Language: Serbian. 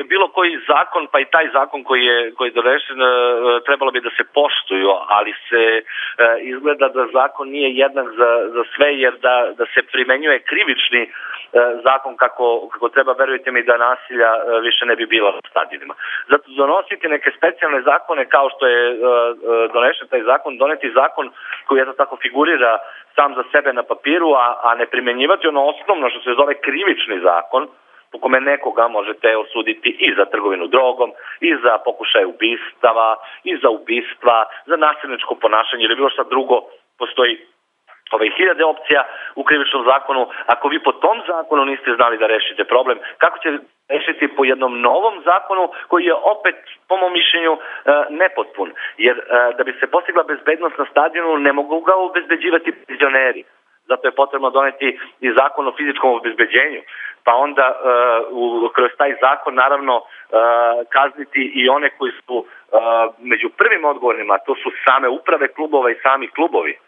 bilo koji zakon, pa i taj zakon koji je donesen, trebalo bi da se poštuju, ali se izgleda da zakon nije jednak za sve, jer da se primenjuje krivični zakon kako treba, verujte mi da nasilja više ne bi bila na stadionima. Zato donositi neke specijalne zakone kao što je donesen taj zakon, doneti zakon koji eto tako figurira sam za sebe na papiru, a ne primenjivati ono osnovno što se zove krivični zakon, po kome nekoga možete osuditi i za trgovinu drogom, i za pokušaj ubistava, i za ubistva, za nasilničko ponašanje ili bilo šta drugo. Postoji hiljade opcija u krivičnom zakonu. Ako vi po tom zakonu niste znali da rešite problem, kako će rešiti po jednom novom zakonu koji je opet, po mom mišljenju, nepotpun? Jer da bi se postigla bezbednost na stadionu, ne mogu ga obezbeđivati penzioneri. Zato je potrebno doneti i zakon o fizičkom obezbeđenju, pa onda kroz taj zakon naravno kazniti i one koji su među prvim odgovornima, to su same uprave klubova i sami klubovi.